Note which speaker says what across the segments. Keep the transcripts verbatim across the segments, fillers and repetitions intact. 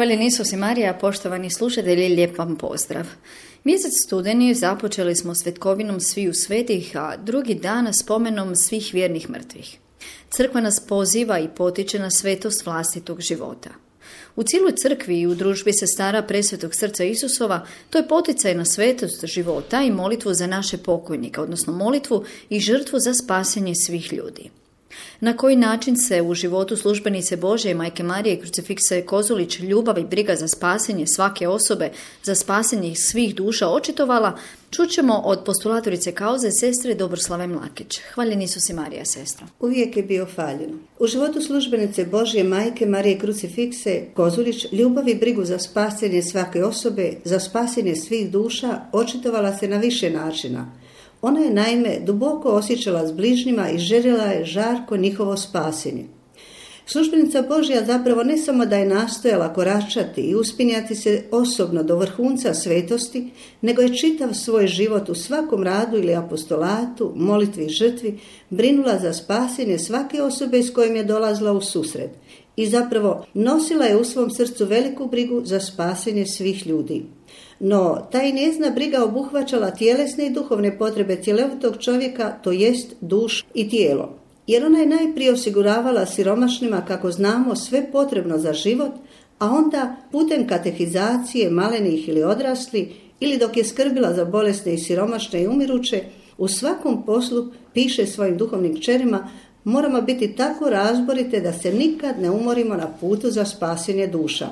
Speaker 1: Hvaljen Isus i Marija, poštovani slušatelji, lijep vam pozdrav. Mjesec studeni započeli smo svetkovinom sviju svetih, a drugi dan spomenom svih vjernih mrtvih. Crkva nas poziva i potiče na svetost vlastitog života. U cijeloj crkvi i u družbi sestara Presvetog srca Isusova to je poticaj na svetost života i molitvu za naše pokojnike, odnosno molitvu i žrtvu za spasenje svih ljudi. Na koji način se u životu službenice Božje i Majke Marije Krucifikse Kozulić ljubav i briga za spasenje svake osobe, za spasenje svih duša očitovala, čućemo od postulatorice kauze sestre Dobroslave Mlakić. Hvaljen Isus i Marija, sestro.
Speaker 2: Uvijek je bio hvaljen. U životu službenice Božje Majke Marije Krucifikse Kozulić ljubav i brigu za spasenje svake osobe, za spasenje svih duša očitovala se na više načina. Ona je naime duboko osjećala s bližnjima i željela je žarko njihovo spasenje. Službenica Božja zapravo ne samo da je nastojala koračati i uspinjati se osobno do vrhunca svetosti, nego je čitav svoj život u svakom radu ili apostolatu, molitvi i žrtvi brinula za spasenje svake osobe s kojim je dolazila u susret i zapravo nosila je u svom srcu veliku brigu za spasenje svih ljudi. No, ta i njezina briga obuhvaćala tjelesne i duhovne potrebe cjelovitog čovjeka, to jest duš i tijelo. Jer ona je najprije osiguravala siromašnima, kako znamo, sve potrebno za život, a onda putem katehizacije malenih ili odrasli, ili dok je skrbila za bolesne i siromašne i umiruće, u svakom poslu piše svojim duhovnim kćerima: moramo biti tako razborite da se nikad ne umorimo na putu za spasenje duša.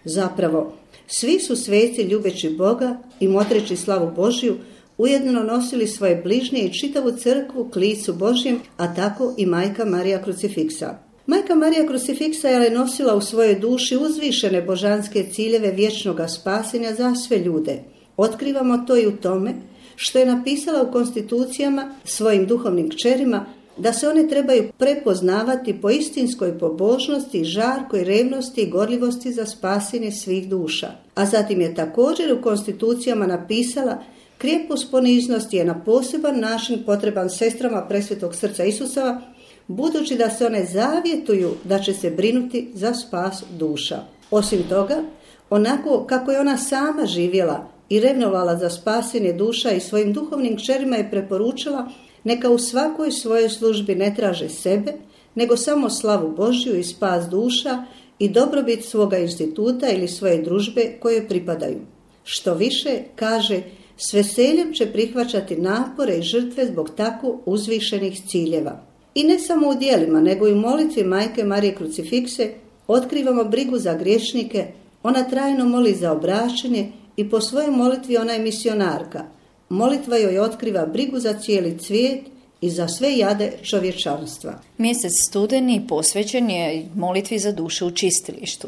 Speaker 2: Zapravo, svi su sveci ljubeći Boga i motreći slavu Božju, ujedno nosili svoje bližnje i čitavu crkvu k licu Božjem, a tako i Majka Marija Krucifiksa. Majka Marija Krucifiksa je nosila u svojoj duši uzvišene božanske ciljeve vječnoga spasenja za sve ljude. Otkrivamo to i u tome što je napisala u konstitucijama svojim duhovnim kćerima da se one trebaju prepoznavati po istinskoj pobožnosti, žarkoj revnosti i gorljivosti za spasenje svih duša. A zatim je također u konstitucijama napisala: krijepost poniznosti je na poseban način potreban sestrama Presvetog srca Isusova, budući da se one zavjetuju da će se brinuti za spas duša. Osim toga, onako kako je ona sama živjela i revnovala za spasenje duša i svojim duhovnim kćerima je preporučila neka u svakoj svojoj službi ne traže sebe, nego samo slavu Božju i spas duša i dobrobit svoga instituta ili svoje družbe koje pripadaju. Što više, kaže, s veseljem će prihvaćati napore i žrtve zbog tako uzvišenih ciljeva. I ne samo u djelima, nego i u molitvi Majke Marije Krucifikse otkrivamo brigu za griješnike. Ona trajno moli za obraćanje i po svojoj molitvi ona je misionarka. Molitva joj otkriva brigu za cijeli svijet i za sve jade čovječanstva.
Speaker 1: Mjesec studeni posvećen je molitvi za duše u čistilištu.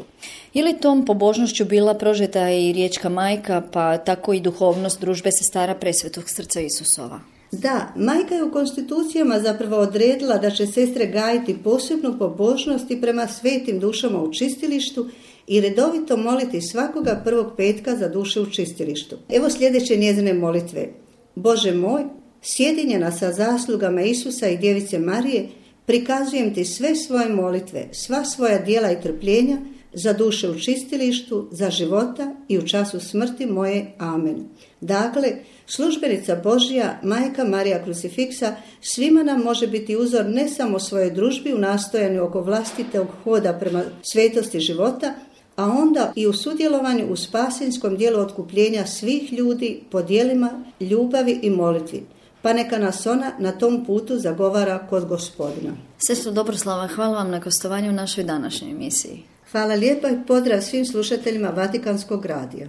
Speaker 1: Je li tom pobožnošću bila prožeta i riječka majka, pa tako i duhovnost družbe sestara Presvetog srca Isusova?
Speaker 2: Da, majka je u konstitucijama zapravo odredila da će sestre gajiti posebnu pobožnost i prema svetim dušama u čistilištu i redovito moliti svakoga prvog petka za duše u čistilištu. Evo sljedeće njezine molitve. Bože moj, sjedinjena sa zaslugama Isusa i Djevice Marije, prikazujem ti sve svoje molitve, sva svoja djela i trpljenja za duše u čistilištu, za života i u času smrti moje. Amen. Dakle, službenica Božja, Majka Marija Krucifiksa, svima nam može biti uzor ne samo svojoj družbi u nastojanju oko vlastitog hoda prema svetosti života, a onda i u sudjelovanju u spasinskom dijelu otkupljenja svih ljudi po djelima ljubavi i molitvi. Pa neka nas ona na tom putu zagovara kod Gospodina.
Speaker 1: Sestro Dobroslava, hvala vam na gostovanju u našoj današnjoj emisiji.
Speaker 2: Hvala lijepa i pozdrav svim slušateljima Vatikanskog radija.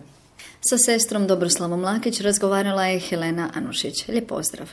Speaker 1: Sa sestrom Dobroslavom Mlakić razgovarala je Helena Anušić. Lijep pozdrav.